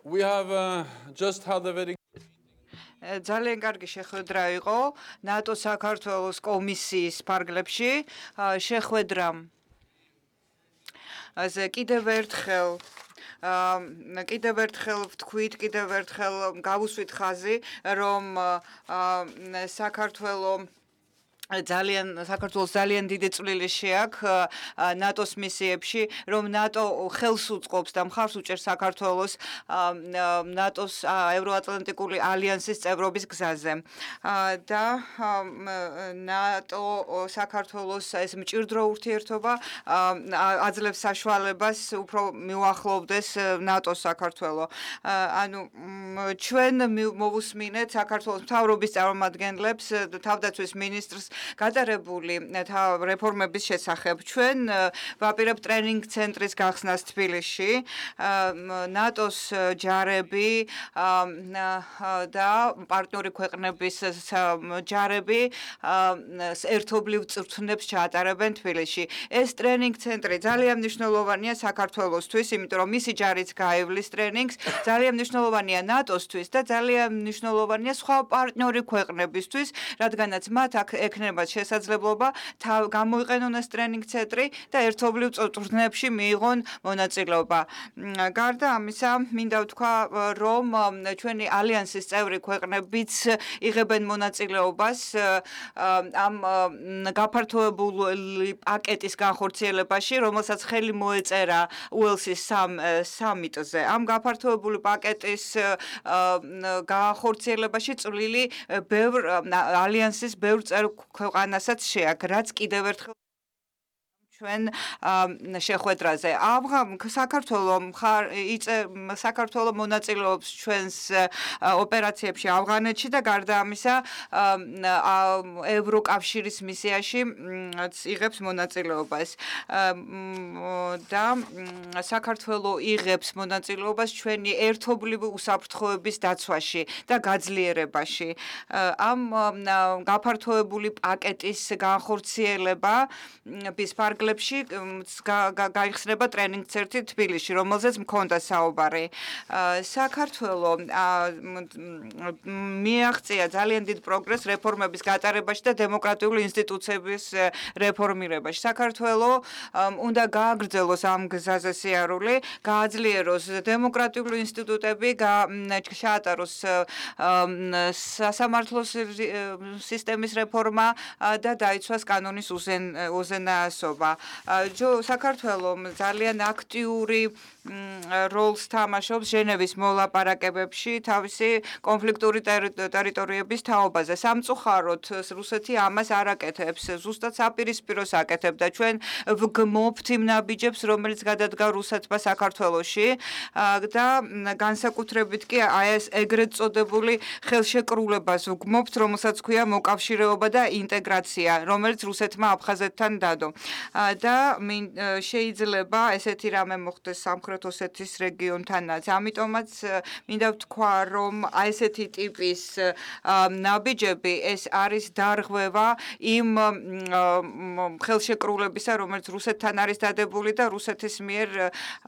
We have just had a very ძალიან კარგი შეხვედრა იყო ნატო საქართველოს კომისიის ფარგლებში შეხვედრა ასე კიდევ ერთხელ ვთქვით, კიდევ ერთხელ გავუსვით ხაზი, რომ საქართველოს ძალიან დიდი წვლილი შეაქვს ნატოს მისიებში, რომ ნატო ხელს უწყობს და მხარს უჭერს საქართველოს ნატოს ევროატლანტიკური ალიანსის წევრობის გზაზე. და ნატო საქართველოს ეს მჭიდრო ურთიერთობა აძლევს საშუალებას უფრო მიუახლოვდეს ნატოს საქართველო. ანუ ჩვენ მოვუსმინეთ საქართველოს მთავრობის წარმომადგენლებს, თავდაცვის მინისტრს გადარებული რეფორმების შესახებ. ჩვენ ვაპირებთ ტრენინგ ცენტრის გახსნას თბილისში, ნატოს ჯარები და პარტნიორი ქვეყნების ჯარები ერთობლივ წვრთნებს ჩაატარებენ თბილისში. ეს ტრენინგ ცენტრი ძალიან მნიშვნელოვანია საქართველოსთვის, იმიტომ რომ მისი ჯარიც გაივლის ტრენინგს, ძალიან მნიშვნელოვანია ნატოსთვის და ძალიან მნიშვნელოვანია სხვა პარტნიორი ქვეყნებისთვის, რადგანაც მათ აქ ექნება შესაძლებლობა გამოიყენონ ეს ტრენინგ ცენტრი და ერთობლივ წვრთნებში მიიღონ მონაწილეობა. გარდა ამისა, მინდა ვთქვა, რომ ჩვენი ალიანსის წევრი ქვეყნებიც იღებენ მონაწილეობას ამ გაფართოებული პაკეტის განხორციელებაში, რომელსაც ხელი მოეწერა უელსის სამიტზე. ამ გაფართოებული პაკეტის განხორციელებაში წვლილი ალიანსის ბევრ წევრ ქვეყანასაც შეაქვს, რაც კიდევ ერთხელ ჩვენ შეხვედრაზე. საქართველო მონაწილეობს ჩვენს ოპერაციებში ავღანეთში და გარდა ამისა ევროკავშირის მისიაში იღებს მონაწილეობას. და საქართველო იღებს მონაწილეობას ჩვენი ერთობლივი უსაფრთხოების დაცვაში და გაძლიერებაში. ამ გაფართოებული პაკეტის განხორციელება ფარგლებში გაიხსნება ტრენინგ ცენტრი თბილისში, რომელზეც მქონდა საუბარი. საქართველო მიაღწია ძალიან დიდ პროგრესს რეფორმების გატარებაში და დემოკრატიული ინსტიტუციების რეფორმირებაში. საქართველო უნდა გააგრძელოს ამ გზაზე სიარული, გააძლიეროს დემოკრატიული ინსტიტუტები, ჩაატაროს სასამართლო სისტემის რეფორმა და დაიცვას კანონის უზენაესობა. საქართველო ძალიან აქტიური როლს თამაშობს ჟენევის მოლაპარაკებებში თავისი კონფლიქტური ტერიტორიების თაობაზე. სამწუხაროდ რუსეთი ამას არ აკეთებს, ზუსტად საპირისპიროს აკეთებდა. ჩვენ ვგმობთ იმ ნაბიჯებს, რომელიც გადადგა რუსეთმა საქართველოში და განსაკუთრებით კი ეს ეგრეთ წოდებული ხელშეკრულებას ვგმობთ, რომელსაც ქვია მოკავშირეობა და ინტეგრაცია, რომელიც რუსეთმა აფხაზეთთან დადო. და შეიძლება ესეთი რამე მოხდეს სამხრეთ ოსეთის რეგიონთანაც. ამიტომაც მინდა ვთქვა, რომ ესეთი ტიპის ნაბიჯები ეს არის დარღვევა იმ ხელშეკრულებისა, რომელიც რუსეთთან არის დადებული და რუსეთის მიერ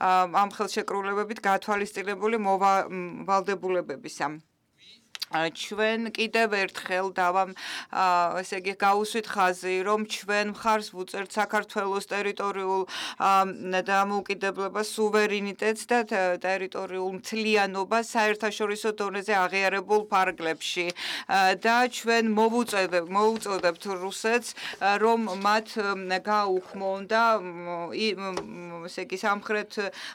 ამ ხელშეკრულებებით გათვალისწინებული მოვალდებულებებისა. ჩვენ კიდევ ერთხელ ესე იგი გავუსვით ხაზი, რომ ჩვენ მხარს ვუწევთ საქართველოს ტერიტორიულ დამოუკიდებლობას, სუვერენიტეტს და ტერიტორიულ მთლიანობას საერთაშორისო დონეზე აღიარებულ ფარგლებში. და ჩვენ მოვუწევდებთ რუსეთს, რომ მათ გააუქმონ და ესე იგი სამხრეთ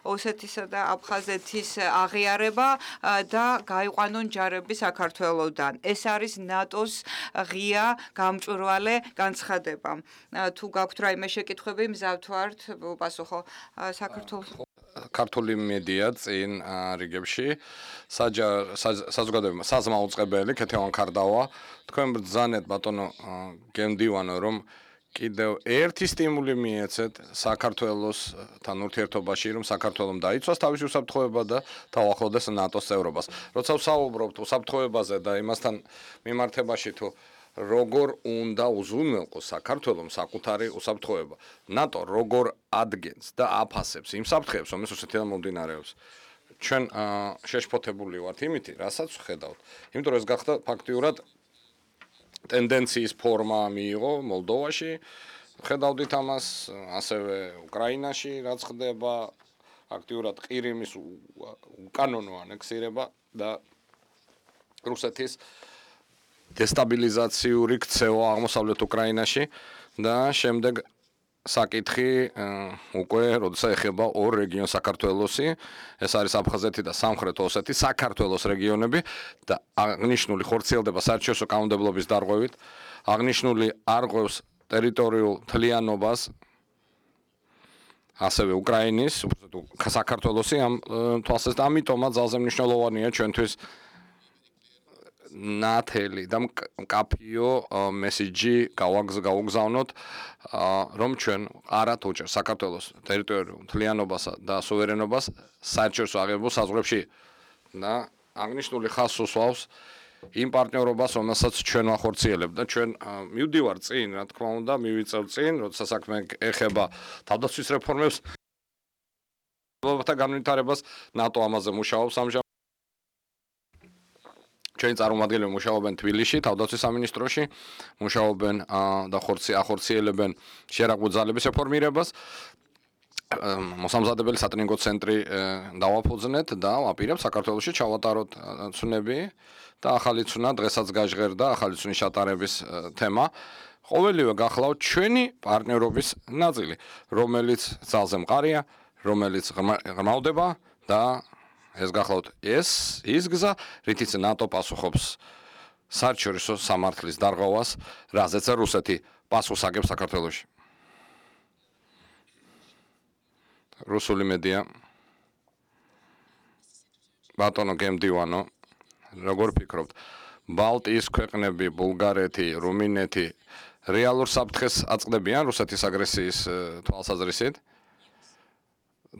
ოსეთისა და აფხაზეთის აღიარება და გაიყვანონ ჯარები საქართველოდან. ეს არის ნატოს ღია გამჭვირვალე განცხადება. თუ გაქვთ რაიმე შეკითხვები, მზად ვართ უპასუხო. საქართველოს ქართული მედია წინ რიგებში საზოგადოება საზმაუწყებელი ქეთევან ქარდავა თქვენ ბრძანეთ ბატონო გემდივანო რომ კიდევ ერთი სტიმული მიეცეთ საქართველოსთან ურთიერთობაში, რომ საქართველოს დაიცვას თავისი უსაფრთხოება და თავახლდეს ნატოს წევრობას. როცა ვსაუბრობთ უსაფრთხოებაზე და იმასთან მიმართებაში თუ როგორ უნდა უზრუნველყოს საქართველოს საკუთარი უსაფრთხოება. ნატო როგორ ადგენს და აფასებს იმ საფრთხეებს, რომელიც რუსეთიდან მომდინარეობს. ჩვენ შეშფოთებული ვართ იმით, რასაც ხედავთ. იმიტომ რომ ეს გახდა ფაქტიურად ტენდენციის ფორმა მიიღო მოლდოვაში. ხედავდით ამას, ასევე უკრაინაში რაც ხდება, აქტიურად ყირიმის უკანონო ანექსირება და რუსეთის დესტაბილიზაციური ქცევა აღმოსავლეთ უკრაინაში და შემდეგ საკითხი უკვე როდესაც ეხება ორ რეგიონს საქართველოსი, ეს არის აფხაზეთი და სამხრეთ ოსეთი, საქართველოს რეგიონები და აღნიშნული ხორციელდება საერთაშორისო კანონმდებლობის დარღვევით, აღნიშნული არღვევს ტერიტორიულ თლიანობას ასევე უკრაინის, საქართველოსი ამ თვალსაზრისით, ამიტომაც ძალზე მნიშვნელოვანია ჩვენთვის ნათელი და მკაფიო მესიჯი გავუგზავნოთ, რომ ჩვენ არათ უჭერს საქართველოს ტერიტორიულ თლიანობასა და სუვერენობას საერთაშორისო აღებულ საზღვრებში და აღნიშნული ხაზს უსვავს იმ პარტნიორობას, რომელსაც ჩვენ ვახორციელებთ და ჩვენ მივდივართ წინ, რა თქმა უნდა, მივიწევ წინ, როცა საქმე ეხება თავდაცვის რეფორმებს და განვითარებას, ნატო ამაზე მუშაობს ამჟამად. ჩვენი წარმომადგენლები მუშაობენ თბილისში, თავდაცვის სამინისტროში, მუშაობენ და ახორციელებენ შერაგულ ძალების რეფორმირებას. მოსამზადებელი სატრენინგო ცენტრი დავაფუძნეთ და ვაპირებთ საქართველოში ჩავატაროთ ცნები და ახალი ცნა დღესაც გაჟღერდა ახალი ცნის ჩატარების თემა. ყოველივე გახლავთ ჩვენი პარტნიორობის ნაწილი, რომელიც ძალზე მყარია, რომელიც ღრმავდება და ეს გახლავთ ის გზა, რითიც ნატო პასუხობს საერთაშორისო სამართლის დარღვევას, რაზეც რუსეთი პასუხს აგებს საქართველოში. რუსული მედია ბატონო გემდივანო, როგორ ფიქრობთ, ბალტიის ქვეყნები, ბულგარეთი, რუმინეთი რეალურ საფრთხეს აწყდებიან რუსეთის აგრესიის თვალსაზრისით?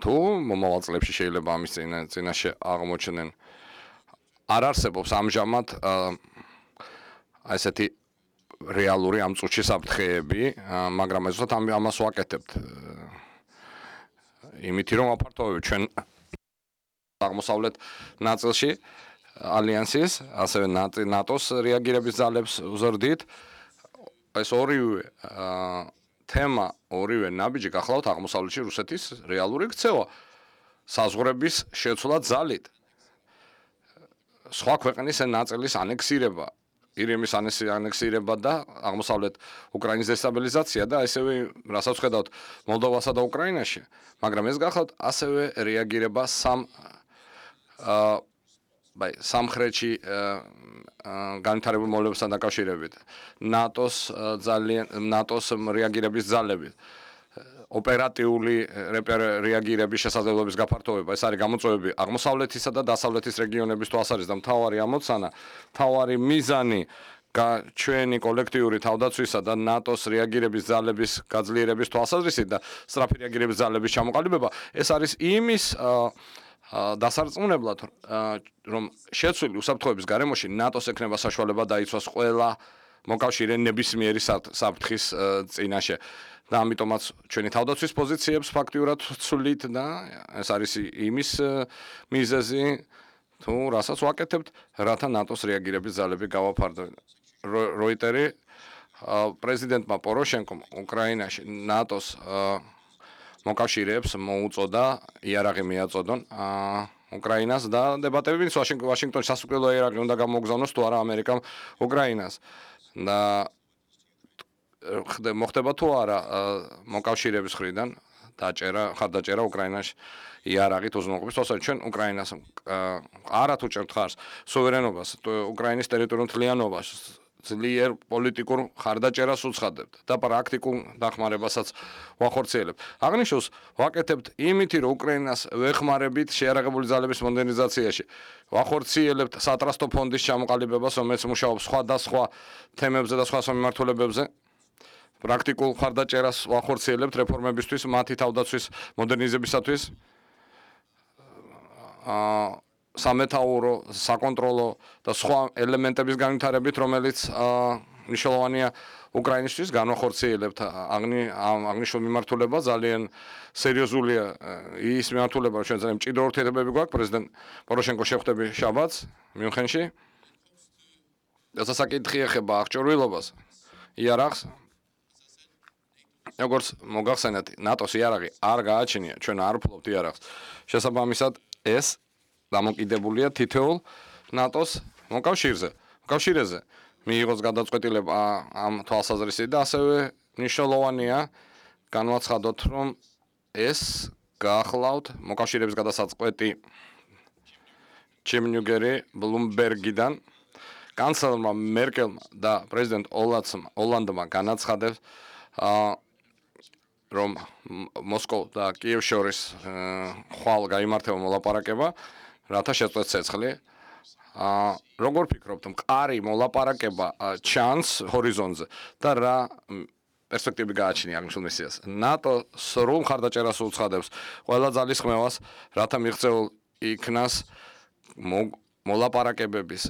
თუ მომავალ წლებში შეიძლება ამის წინაშე აღმოჩნდნენ, არ არსებობს ამჟამად ესეთი რეალური ამ წუთში საფრთხეები, მაგრამ ზუსტად ამას ვაკეთებთ. იმით რომ ვაფართოვებთ ჩვენ აღმოსავლეთ ნაწილში ალიანსის, ასევე ნატოს რეაგირების ძალებს ვზრდით. ეს ორივე თემა, ორივე ნაბიჯი გახლავთ აღმოსავლეთში რუსეთის რეალური ქცევა, საზღვრების შეცვლა ძალით, სხვა ქვეყნის ნაწილის ანექსირება, ირიმის ანექსირება და აღმოსავლეთ უკრაინის დესტაბილიზაცია და ასევე რასაც ხედავთ მოლდოვასა და უკრაინაში, მაგრამ ეს გახლავთ ასევე რეაგირება სამხრეთში განვითარებულ მოვლენებთან დაკავშირებით, ნატოს რეაგირების ძალებით, ოპერატიული რეაგირების შესაძლებლობის გაფართოვება, ეს არის გამოწვევები აღმოსავლეთისა და დასავლეთის რეგიონების თვალსაზრისით და მთავარი ამოცანა, მთავარი მიზანი ჩვენი კოლექტიური თავდაცვისა და ნატოს რეაგირების ძალების გაძლიერების თვალსაზრისით და სწრაფი რეაგირების ძალების ჩამოყალიბება, ეს არის იმის დასარწმუნებლად, რომ შეცვლილი უსაფრთხოების გარემოში ნატოს ექნება საშუალება დაიცვას ყველა მოკავშირე ნებისმიერი საფრთხის წინაშე. და ამიტომაც ჩვენი თავდაცვის პოზიციებს ფაქტიურად ვცვლით და ეს არის იმის მიზეზი, თუ რასაც ვაკეთებთ, რათა ნატოს რეაგირების ძალები გავაფარდოთ. როიტერი პრეზიდენტმა პოროშენკომ უკრაინაში ნატოს მოკავშირეებს მოუწოდა იარაღი მიაწოდონ უკრაინას და დებატები მინს ვაშინგტონში სასუქველო იარაღი უნდა გამოგზავნოს თუ არა ამერიკამ უკრაინას და მოხდება თუ არა მოკავშირეების მხრიდან ხარდაჭერა უკრაინაში იარაღით უზრუნველყოფის თვალსაზრისით ჩვენ უკრაინას არათ უჭერთ ხარს სუვერენობას უკრაინის ტერიტორიულ თლიანობას ძლიერ პოლიტიკურ ხარდაჭერას უცხადებთ და პრაქტიკულ დახმარებასაც ვახორციელებთ. აღნიშნულს ვაკეთებთ იმითი, რომ უკრაინას ვეხმარებით შეიარაღებული ძალების მოდერნიზაციაში. ვახორციელებთ სატრასტო ფონდის ჩამოყალიბებას, რომელიც მუშაობს სხვა თემებზე და სხვა მიმართულებებზე. პრაქტიკულ ხარდაჭერას ვახორციელებთ რეფორმებისთვის, მათი თავდაცვის მოდერნიზებისათვის. სამეთაურო, საკონტროლო და სხვა ელემენტების განვითარებით, რომელიც მნიშვნელოვანია უკრაინისთვის განვახორციელებთ აღნიშნულ მიმართულება ძალიან სერიოზულია ის მიმართულება, ჩვენ ძალიან მჭიდრო ურთიერთობები გვაქვს პრეზიდენტ პოროშენკოს შეხვდები შაბათს მიუნხენში. დასასაკითხი ეხება აღჭურვილობას იარაღს. როგორც მოგახსენეთ, ნატოს იარაღი არ გააჩნია, ჩვენ არ ვფლობთ იარაღს. შესაბამისად, ეს დამოკიდებულია თითოეულ ნატოს მოკავშირეზე. მიიღოს გადაწყვეტილება ამ თვალსაზრისით და ასევე მნიშვნელოვანია განვაცხადოთ, რომ ეს გაახლავთ მოკავშირეების გადასაწყვეტი ჩემნიუგერი ბლუმბერგიდან კანცლერმა მერკელმა და პრეზიდენტ ოლანდმა განაცხადებს რომ მოსკოვ და კიევს შორის ხვალ გაიმართება მოლაპარაკება, რათა შეწყვეტს ცეცხლი. როგორ ფიქრობთ, მყარი მოლაპარაკება ჩანს ჰორიზონტზე და რა პერსპექტივები გააჩნია აღნიშნულ მისიას? ნატო სრულ მხარდაჭერას უცხადებს ყველა ძალისხმევას, რათა მიღწეულ იქნას მოლაპარაკებების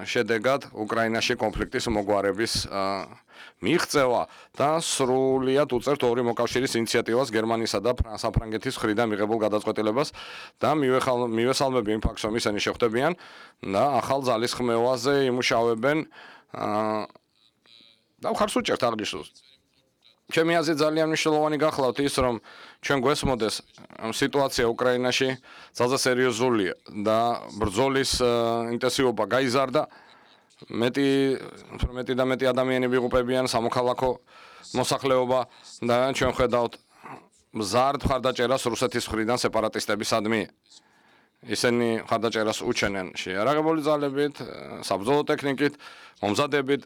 შედეგად უკრაინაში კონფლიქტის მოგვარების მიღწევა და სრულიად უწევთ ორი მოკავშირის ინიციატივას გერმანიისა და საფრანგეთის მხრიდან მიღებულ გადაწყვეტილებას და მივესალმები იმ ფაქტს, რომ ისინი შეხვდებიან და ახალ ძალისხმევაზე იმუშავებენ და ხარს უჭერთ აღნიშნულს. ჩემი აზრით ძალიან მნიშვნელოვანი გახლავთ ის, რომ ჩვენ გვესმოდეს სიტუაცია უკრაინაში ძალზე სერიოზულია და ბრძოლის ინტენსივობა გაიზარდა. მეტი ადამიანები იღუპებიან, სამოქალაქო მოსახლეობა და ჩვენ ხედავთ მზარდ მხარდაჭერას რუსეთის მხრიდან სეპარატისტებისადმი. ისინი მხარდაჭერას უჩენენ შეიარაღებული ძალებით, საბრძოლო ტექნიკით, მომზადებით,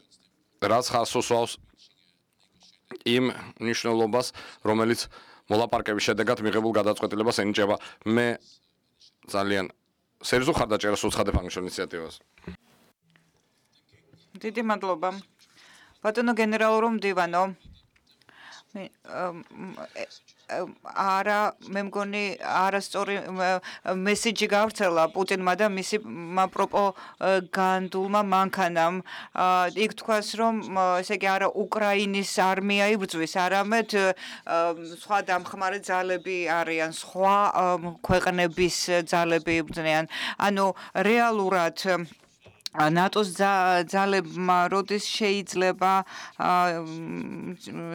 რაც ხარს უსვავს იმ მნიშვნელობას, რომელიც მოლაპარაკების შედეგად მიღებულ გადაწყვეტილებას ენიჭება. მე ძალიან სერიოზულ მხარდაჭერას უცხადებ აღნიშნულ ინიციატივას. დიდი მადლობა. ბატონო გენერალურ მდივანო, მე მგონი არასწორი მესიჯი გავრცელა პუტინმა და მისი პროპაგანდულმა მანქანამ. იქ თქვას, რომ ესე იგი არა უკრაინის არმია იბრძვის, არამედ სხვა დამხმარე ძალები არიან, სხვა ქვეყნების ძალები იბრძნიან. ანუ რეალურად ნატოს ძალებმა როდის შეიძლება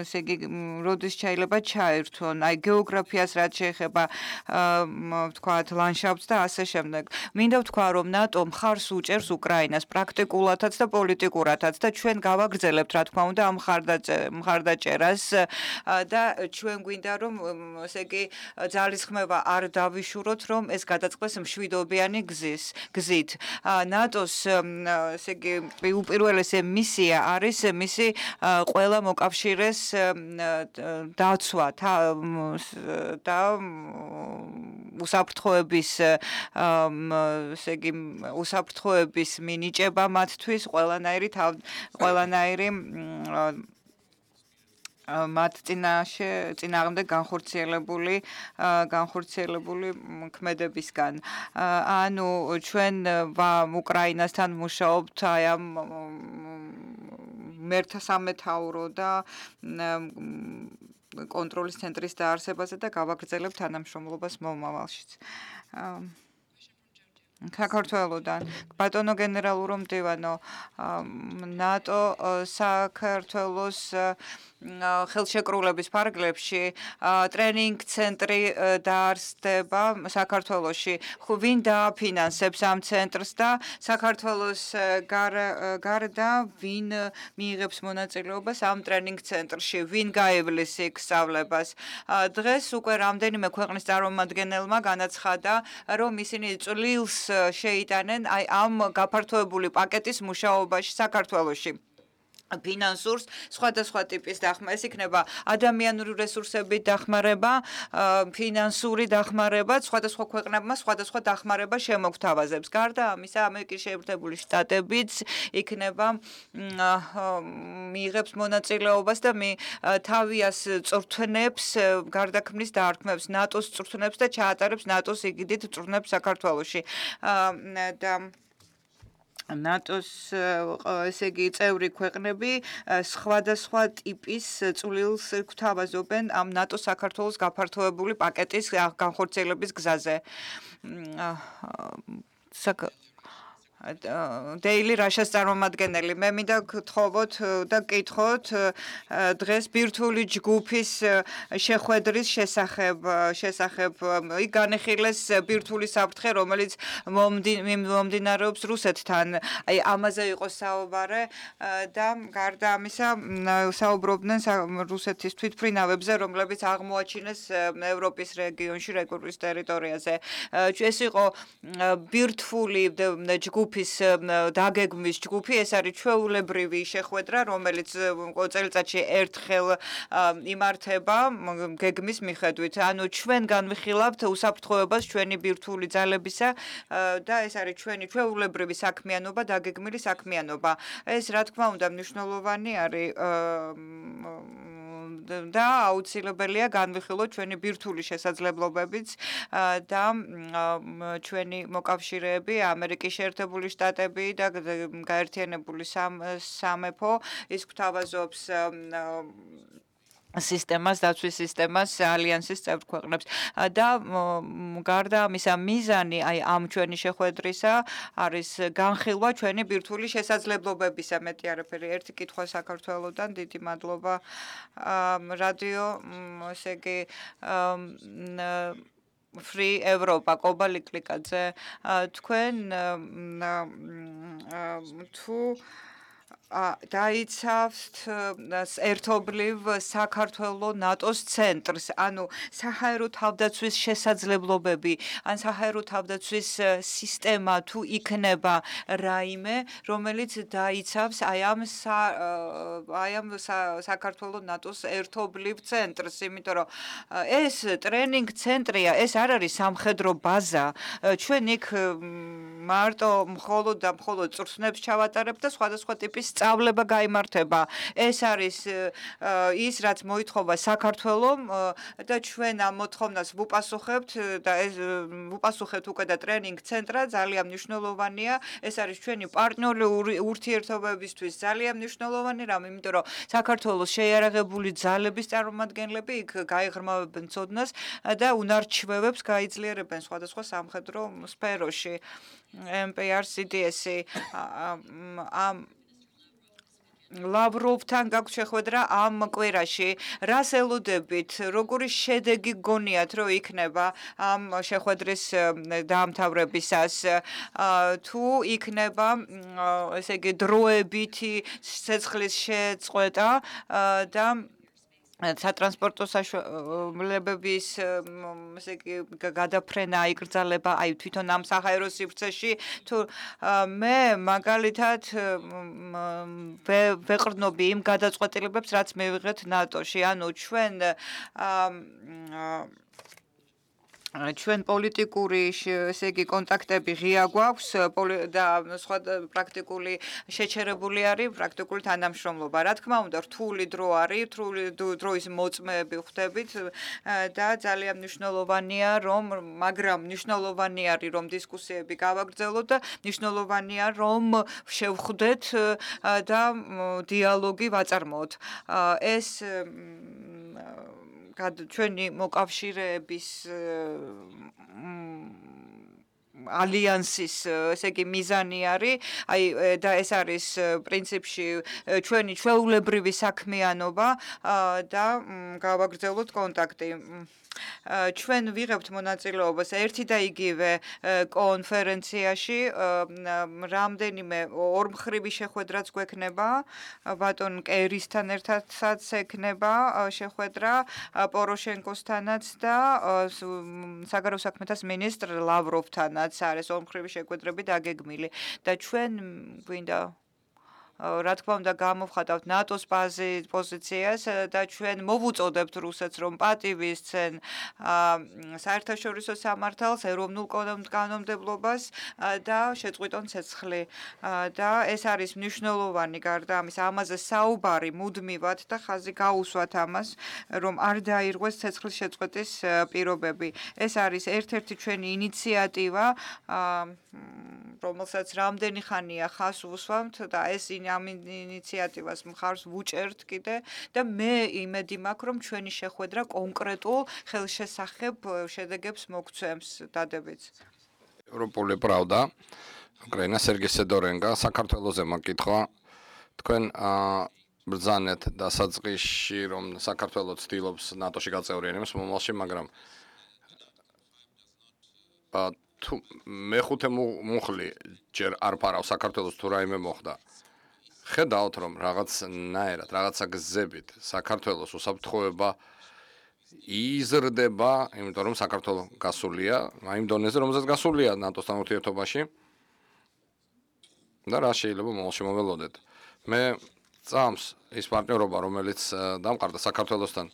ესე იგი როდის შეიძლება ჩაერთვონ აი გეოგრაფიას რაც შეეხება ვთქვათ ლანდშაფტს და ასე შემდეგ. მინდა ვთქვა რომ ნატო მხარს უჭერს უკრაინას პრაქტიკულადაც და პოლიტიკურადაც და ჩვენ გავაგრძელებთ რა თქმა უნდა ამ მხარდაჭერას და ჩვენ გვინდა რომ ესე იგი ძალისხმევა არ დავიშუროთ რომ ეს გადაწყდეს მშვიდობიანი გზით. ნატოს ესე იგი უპირველესი მისია არის მისი ყველა მოკავშირეს დაცვა და უსაფრთხოების ესე იგი უსაფრთხოების მინიჭება მათთვის ყველანაირი მათ წინააღმდეგ განხორციელებული ქმედებისგან. ანუ ჩვენ უკრაინასთან მუშაობთ აი ამ მერთა სამეთაურო და კონტროლის ცენტრის დაარსებაზე და გავაგრძელებთ თანამშრომლობას მომავალშიც. საქართველოდან ბატონო გენერალურ მდივანო, ნატო საქართველოს ხელშეკრულების ფარგლებში ტრენინგ ცენტრი დაარსდება საქართველოში. ვინ დააფინანსებს ამ ცენტრს და საქართველოს გარდა ვინ მიიღებს მონაწილეობას ამ ტრენინგ ცენტრში, ვინ გაივლის იქ სწავლებას. დღეს უკვე რამდენიმე ქვეყნის წარმომადგენელმა განაცხადა, რომ ისინი წვლილს შეიტანენ აი ამ გაფართოებული პაკეტის მუშაობაში საქართველოში. ფინანსურს, სხვადასხვა ტიპის დახმარება, ეს იქნება ადამიანური რესურსების დახმარება, ფინანსური დახმარება, სხვადასხვა ქვეყნებმა სხვადასხვა დახმარება შემოგთავაზებს. გარდა ამისა, ამერიკის შეერთებული შტატებიც იქნება მიიღებს მონაწილეობას და თავიას წვრთნებს, გარდაქმნის დაარქმევს ნატოს წვრთნებს და ჩაატარებს ნატოს იგიდით წვრთნებს საქართველოში. და ნატოს ესე იგი წევრი ქვეყნები სხვადასხვა ტიპის წვლილს გვთავაზობენ ამ ნატოს საქართველოს გაფართოებული პაკეტის განხორციელების გზაზე. Daily Russia's წარმომადგენელი მე მინდა გთხოვოთ და გკითხოთ დღეს ბირთვული ჯგუფის შეხვედრის შესახებ იქ განეხილეს ბირთვული საფრთხე რომელიც მომდინარეობს რუსეთთან აი ამაზე იყო საუბარი და გარდა ამისა საუბრობდნენ რუსეთის თვითმფრინავებზე რომლებიც აღმოაჩინეს ევროპის რეგიონში რეგიონის ტერიტორიაზე ეს იყო ბირთვული ჯგუფი დაგეგმვის ჯგუფი ეს არის ჩვეულებრივი შეხვედრა რომელიც წელიწადში ერთხელ იმართება გეგმის მიხედვით ანუ ჩვენ განვიხილავთ უსაფრთხოებას ჩვენი ბირთვული ძალებისა და ეს არის ჩვენი ჩვეულებრივი საქმიანობა დაგეგმილი საქმიანობა ეს რა თქმა უნდა მნიშვნელოვანი არის და აუცილებელია განვიხილოთ ჩვენი ბირთვული შესაძლებლობებიც და ჩვენი მოკავშირეები ამერიკის შეერთებული შტატები და გაერთიანებული სამეფო ის გვთავაზობს სისტემას დაცვის სისტემას ალიანსის წევრ ქვეყნებს და გარდა ამისა მიზანი აი ამ ჩვენი შეხვედრისა არის განხილვა ჩვენი ბირთვული შესაძლებლობებისა მეტი არაფერი ერთი კითხვა საქართველოსთან დიდი მადლობა რადიო ესე იგი Free Europa კობა ლიკლიკაძე თქვენ თუ დაიცავთ ერთობლივ საქართველოს ნატოს ცენტრს, ანუ საჰაერო თავდაცვის შესაძლებლობები, ან საჰაერო თავდაცვის სისტემა თუ იქნება რაიმე, რომელიც დაიცავს აი ამ საქართველოს ნატოს ერთობლივ ცენტრს, იმიტომ რომ ეს ტრენინგ ცენტრია, ეს არ არის სამხედრო ბაზა, ჩვენ იქ მარტო მხოლოდ წვრთნებს ჩავატარებთ და სხვადასხვა ტიპის სწავლება გაიმართება. ეს არის ის, რაც მოითხოვა საქართველომ და ჩვენ ამ მოთხოვნას ვუპასუხებთ და ეს ვუპასუხებთ უკვე და ტრენინგ ცენტრა ძალიან მნიშვნელოვანია. ეს არის ჩვენი პარტნიორული ურთიერთობებისთვის ძალიან მნიშვნელოვანი რამ, იმიტომ რომ საქართველოს შეიარაღებული ძალების წარმომადგენლები იქ გაიღრმავებენ ცოდნას და უნარჩვევებს გაიძლიერებენ სხვადასხვა სამხედრო სფეროში. MPR-CDS-ი ამ ლავროვთან გაქვს შეხვედრა ამ კვირაში. რას ელოდებით? როგორი შედეგი გონიათ, რომ იქნება ამ შეხვედრის დაამთავრებისას? თუ იქნება, ესე იგი, დროებითი ცეცხლის შეწყვეტა და სატრანსპორტო საშუალებების ესე იგი გადაფრენა აიკრძალება აი თვითონ ამ საჰაერო სივრცეში თუ მე მაგალითად ვეყრდნობი იმ გადაწყვეტილებებს რაც მივიღეთ ნატოში ანუ ჩვენ პოლიტიკური ესე იგი კონტაქტები ღია გვაქვს და სხვა პრაქტიკული შეჩერებული არის პრაქტიკული თანამშრომლობა. რა თქმა უნდა, რთული დრო არის, რთული დროის მოწმეები ხვდებით და ძალიან მნიშვნელოვანია მაგრამ მნიშვნელოვანი არის რომ დისკუსიები გავაგრძელოთ და მნიშვნელოვანია რომ შევხვდეთ და დიალოგი ვაწარმოოთ. ეს ჩვენი მოკავშირეების ალიანსის ესე იგი მიზანი არის აი და ეს არის პრინციპში ჩვენი ჩვეულებრივი საქმიანობა და გავაგრძელოთ კონტაქტი ჩვენ ვიღებთ მონაწილეობას ერთი და იგივე კონფერენციაში რამდენიმე ორმხრივი შეხვედრაც გვექნება ბატონ კერისთან ერთადაც ექნება შეხვედრა პოროშენკოსთანაც და საგარეო საქმეთა მინისტრ ლავროვთანაც არის ორმხრივი შეხვედრები დაგეგმილი და ჩვენ გვინდა რა თქმა უნდა გამოვხატავთ ნატოს პოზიციას და ჩვენ მოვუწოდებთ რუსეთს რომ პატივისცენ საერთაშორისო სამართალს, ეროვნულ კანონმდებლობას და შეწყვიტონ ცეცხლი. და ეს არის მნიშვნელოვანი გარდა ამის ამაზე საუბარი მუდმივად და ხაზი გაუსვათ ამას რომ არ დაირღვეს ცეცხლის შეწყვეტის პირობები. ეს არის ერთ-ერთი ჩვენი ინიციატივა რომელსაც რამდენი ხანია ხას უსვამთ და ეს ამ ინიციატივას მხარს ვუჭერთ კიდე და მე იმედი მაქვს რომ ჩვენი შეხვედრა კონკრეტულ ხელშესახებ შედეგებს მოგცემს დადებიც. ევროპული პრავდა უკრაინა სერგეი სედორენგა საქართველოზე მაკითხვა თქვენ ბრძანეთ დასაწყისში რომ საქართველო ცდილობს ნატოში გაწევრიანებას მომავალში მაგრამ თუ მეხუთე მუხლი ჯერ არ ფარავ საქართველოს თუ რაიმე მოხდა ხედავთ რომ რაღაცნაირად რაღაცა გზებით საქართველოს უსაფრთხოება იზრდება იმიტომ რომ საქართველო გასულია იმ დონეზე რომელზეც გასულია ნატოსთან ურთიერთობაში და რა შეიძლება მომავალში მოველოდეთ მე წამს ის პარტნიორობა რომელიც დამყარდა საქართველოსთან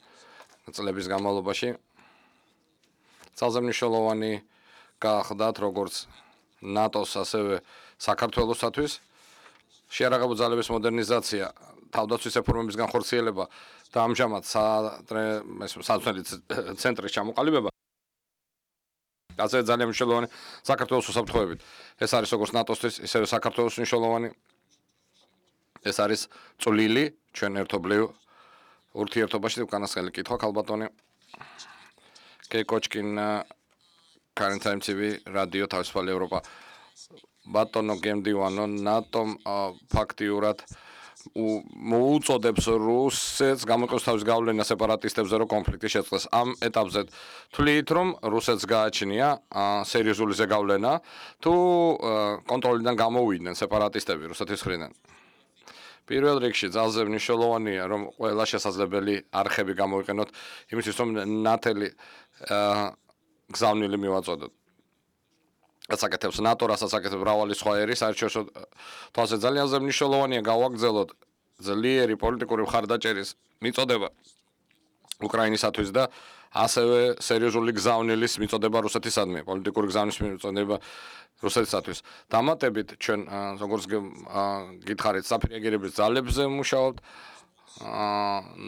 წლების განმავლობაში ძალზე მნიშვნელოვანი გახდათ როგორც ნატოს ასევე საქართველოსთვის შეიარაღებულ ძალების მოდერნიზაცია თავდაცვის რეფორმების განხორციელება და ამჟამად საწვრთნელი ცენტრის ჩამოყალიბება ასე ძალიან მნიშვნელოვანი საქართველოს უსაფრთხოებით ეს არის როგორც ნატოსთვის ისევე საქართველოს მნიშვნელოვანი ეს არის წვლილი ჩვენ ერთობლივ ურთიერთობაში უკანასკნელი კითხვა ქალბატონი კეკოჩკინ Current Time TV რადიო თავისუფალი ევროპა ბატონო გემდივანო ნატომ ფაქტიურად მოუწოდებს რუსეთს გამოიყენოს თავის გავლენა სეპარატისტებზე რომ კონფლიქტი შეწყდეს ამ ეტაპზე თვლით რომ რუსეთს გააჩნია სერიოზული ზეგავლენა თუ კონტროლიდან გამოვიდნენ სეპარატისტები რუსეთის მხრიდან პირველ რიგში ძალზე მნიშვნელოვანია რომ ყველა შესაძლებელი არხები გამოიყენოთ იმისთვის რომ ნათელი გზავნილი მივაწოდოთ ასაკეთებს ნატო რასაც აკეთებს მრავალი სხვა ერი საერთაშორისო თვალსა ძალიან მნიშვნელოვანია გავაგრძელოთ ძლიერი პოლიტიკური მხარდაჭერის მიწოდება უკრაინისათვის და ასევე სერიოზული გზავნილის მიწოდება რუსეთისადმი პოლიტიკური გზავნის მიწოდება რუსეთისათვის დამატებით ჩვენ როგორც გითხარით საფრანგეთის ძალებზე მუშაობთ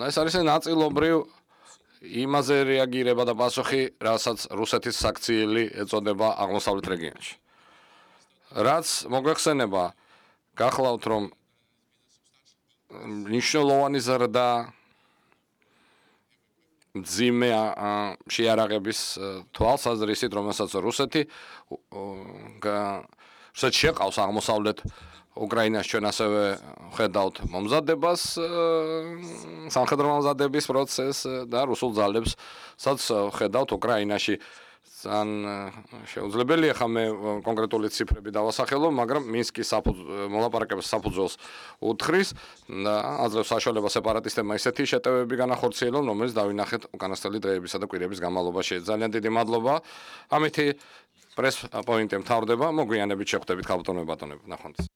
ეს არის ნაწილობრივ იმაზე რეაგირება და პასუხი რასაც რუსეთის საქციელი ეწოდება აღმოსავლეთ რეგიონში რაც მოგვეხსენება გახლავთ რომ მნიშვნელოვანი ზრდა მძიმე შეიარაღების თვალსაზრისით რომელსაც რუსეთი შეყავს აღმოსავლეთ უკრაინას ჩვენ ასევე ხედავთ მომზადებას სამხედრო მომზადების პროცესს და რუსულ ძალებს სადაც ხედავთ უკრაინაში ძალიან შეუძლებელია ხა მე კონკრეტული ციფრები დავასახელო მაგრამ მინსკის მოლაპარაკებების საფუძველს უთხრის და აძლევს საშუალებას სეპარატისტებმა ისეთი შეტევები განახორციელონ რომელიც დავინახეთ უკანასკნელი დღეებისა და კვირების განმავლობაში ძალიან დიდი მადლობა ამითი პრეს პოინტი მთავრდება მოგვიანებით შეხვდებით ქალბატონებო ბატონებო ნახვამდის